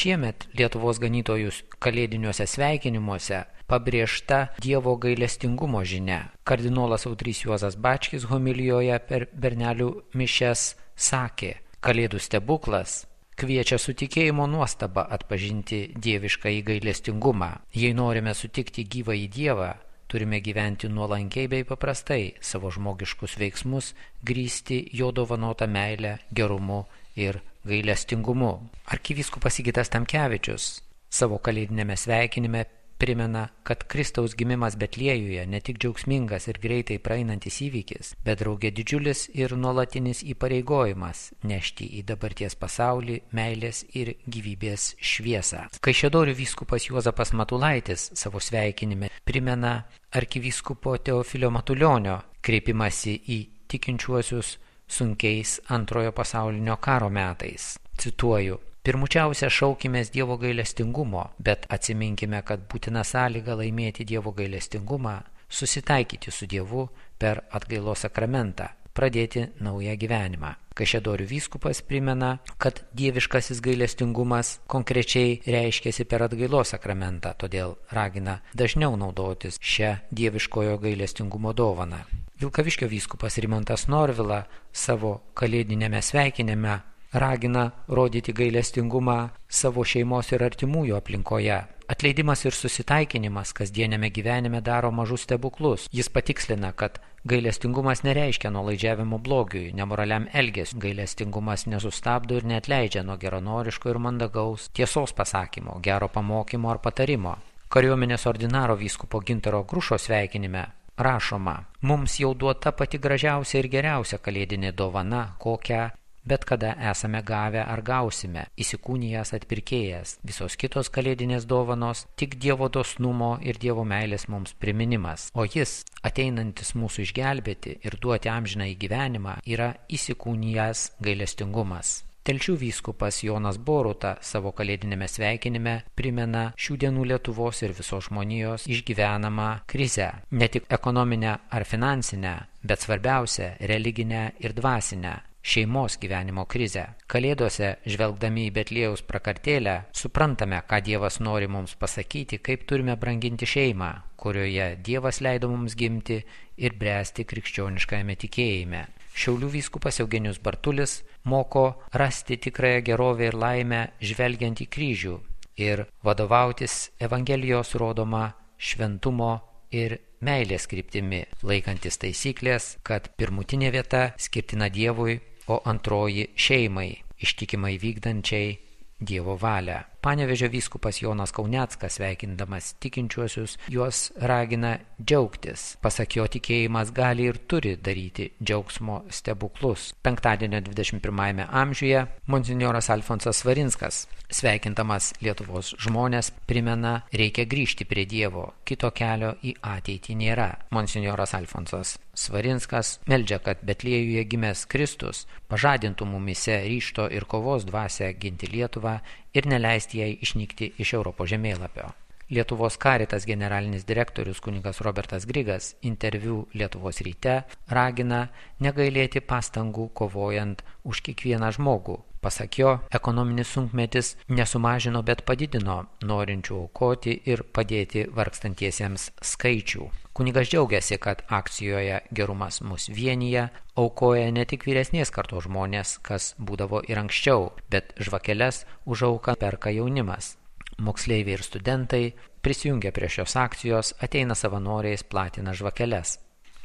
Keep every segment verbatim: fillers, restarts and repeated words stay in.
Šiemet Lietuvos ganytojus kalėdiniuose sveikinimuose pabrėžta Dievo gailestingumo žinia. Kardinolas Audrys Juozas Bačkis homilijoje per bernelių mišias sakė: Kalėdų stebuklas kviečia su tikėjimo nuostaba atpažinti dieviškąjį gailestingumą. Jei norime sutikti gyvąjį Dievą, turime gyventi nuolankiai bei paprastai, savo žmogiškus veiksmus grįsti jo dovanotą meilę, gerumu ir gailestingumu. Arkivyskupas Sigitas Tamkevičius savo kalėdinėme sveikinime primena, kad Kristaus gimimas Betliejuje ne tik džiaugsmingas ir greitai praeinantis įvykis, bet draugė didžiulis ir nuolatinis įpareigojimas nešti į dabarties pasaulį meilės ir gyvybės šviesą. Kaišiadorių vyskupas Juozapas Matulaitis savo sveikinime primena arkivyskupo Teofilio Matulionio kreipimąsi į tikinčiuosius sunkiais antrojo pasaulinio karo metais. Cituoju: Pirmučiausia šaukimės Dievo gailestingumo, bet atsiminkime, kad būtina sąlyga laimėti Dievo gailestingumą, susitaikyti su Dievu per atgailos sakramentą, pradėti naują gyvenimą. Kaišiadorių vyskupas primena, kad dieviškasis gailestingumas konkrečiai reiškiasi per atgailos sakramentą, todėl ragina dažniau naudotis šią dieviškojo gailestingumo dovaną. Vilkaviškio vyskupas Rimantas Norvila savo kalėdinėme sveikinime ragina rodyti gailestingumą savo šeimos ir artimųjų aplinkoje. Atleidimas ir susitaikinimas kasdienėme gyvenime daro mažus stebuklus. Jis patikslina, kad gailestingumas nereiškia nuolaidžiavimo blogiui, nemoraliam elgesiui. Gailestingumas nesustabdo ir neatleidžia nuo geranoriško ir mandagaus tiesos pasakymo, gero pamokymo ar patarimo. Kariuomenės ordinaro vyskupo Gintaro Grušo sveikinime rašoma: Mums jau duota pati gražiausia ir geriausia kalėdinė dovana, kokią bet kada esame gavę ar gausime, įsikūnijęs atpirkėjas. Visos kitos kalėdinės dovanos tik Dievo dosnumo ir Dievo meilės mums priminimas. O jis, ateinantis mūsų išgelbėti ir duoti amžiną į gyvenimą, yra įsikūnijęs gailestingumas. Telšių vyskupas Jonas Boruta savo kalėdinėme sveikinime primena šių dienų Lietuvos ir visos žmonijos išgyvenamą krizę. Ne tik ekonominę ar finansinę, bet svarbiausia religinę ir dvasinę šeimos gyvenimo krizę. Kalėdose, žvelgdami į Betliejaus prakartėlę, suprantame, ką Dievas nori mums pasakyti, kaip turime branginti šeimą, kurioje Dievas leido mums gimti ir bręsti krikščioniškajame tikėjime. Šiaulių vyskupas Eugenijus Bartulis moko rasti tikrąją gerovę ir laimę žvelgiant į kryžių ir vadovautis Evangelijos rodoma šventumo ir meilės kryptimi, laikantis taisyklės, kad pirmutinė vieta skirtina Dievui, o antroji šeimai, ištikimai vykdančiai Dievo valią. Panevėžio vyskupas Jonas Kauneckas, sveikindamas tikinčiuosius, juos ragina džiaugtis. Pasak jo, tikėjimas gali ir turi daryti džiaugsmo stebuklus. Penktadienio dvidešimt pirmajame amžiuje monsinjoras Alfonsas Svarinskas, sveikindamas Lietuvos žmonės, primena, reikia grįžti prie Dievo, kito kelio į ateitį nėra. Monsinjoras Alfonsas Svarinskas meldžia, kad Betliejuje gimęs Kristus pažadintų mumyse ryžto ir kovos dvasią ginti Lietuvą ir neleisti jai išnykti iš Europos žemėlapio. Lietuvos Caritas generalinis direktorius kunigas Robertas Grigas interviu Lietuvos ryte ragina negailėti pastangų kovojant už kiekvieną žmogų. Pasak jo, ekonominis sunkmetis nesumažino, bet padidino norinčių aukoti ir padėti vargstantiesiems skaičių. Kunigas džiaugiasi, kad akcijoje Gerumas mus vienyje aukoja ne tik vyresnės kartos žmonės, kas būdavo ir anksčiau, bet žvakeles už auką perka jaunimas. Moksleiviai ir studentai prisijungia prie šios akcijos, ateina savanoriais, platina žvakeles.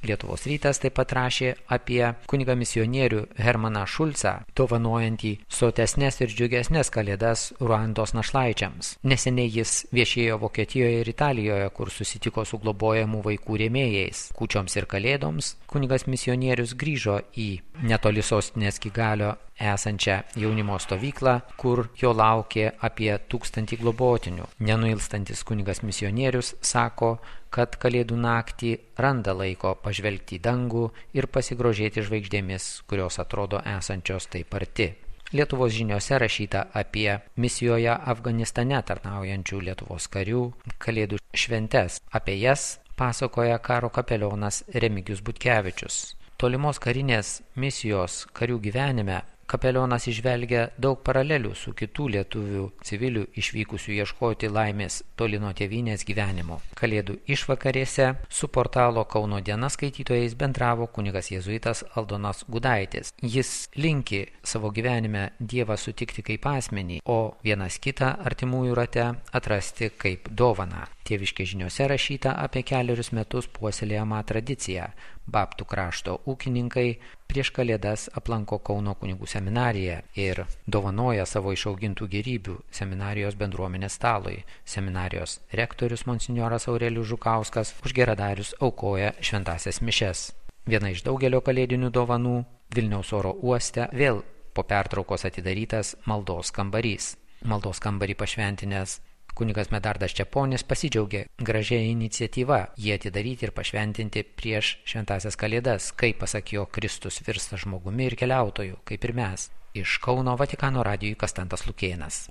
Lietuvos rytas taip pat rašė apie kunigą misionierių Hermaną Šulcą, dovanojantį sotesnės ir džiugesnės kalėdas Ruandos našlaičiams. Neseniai jis viešėjo Vokietijoje ir Italijoje, kur susitiko su globojamų vaikų rėmėjais. Kūčioms ir kalėdoms kunigas misionierius grįžo į netoli sostinės Kigalio esančią jaunimo stovyklą, kur jo laukė apie tūkstantį globotinių. Nenuilstantis kunigas misionierius sako, kad kalėdų naktį randa laiko pažvelgti į dangų ir pasigrožėti žvaigždėmis, kurios atrodo esančios taip arti. Lietuvos žiniose rašyta apie misijoje Afganistane tarnaujančių Lietuvos karių kalėdų šventes. Apie jas pasakoja karo kapelionas Remigijus Butkevičius. Tolimos karinės misijos karių gyvenime kapelionas įžvelgia daug paralelių su kitų lietuvių civilių išvykusių ieškoti laimės toli nuo tėvynės gyvenimo. Kalėdų išvakarėse su portalo Kauno diena skaitytojais bendravo kunigas jėzuitas Aldonas Gudaitis. Jis linki savo gyvenime Dievą sutikti kaip asmenį, o vienas kitą artimųjų rate atrasti kaip dovaną. Tėviškės žiniose rašyta apie keliarius metus puoselėjamą tradiciją. Babtų krašto ūkininkai prieš Kalėdas aplanko Kauno kunigų seminariją ir dovanoja savo išaugintų gėrybių seminarijos bendruomenės stalui. Seminarijos rektorius monsinjoras Aurelijus Žukauskas už geradarius aukoja šventąsias mišias. Viena iš daugelio kalėdinių dovanų Vilniaus oro uoste vėl po pertraukos atidarytas maldos kambarys. Maldos kambarį pašventinęs kunigas Medardas Čeponis pasidžiaugė gražia iniciatyva jį atidaryti ir pašventinti prieš šventąsias Kalėdas, kai, pasak jo, Kristus virsta žmogumi ir keliautoju, kaip ir mes. Iš Kauno Vatikano radijui Kastantas Lukėnas.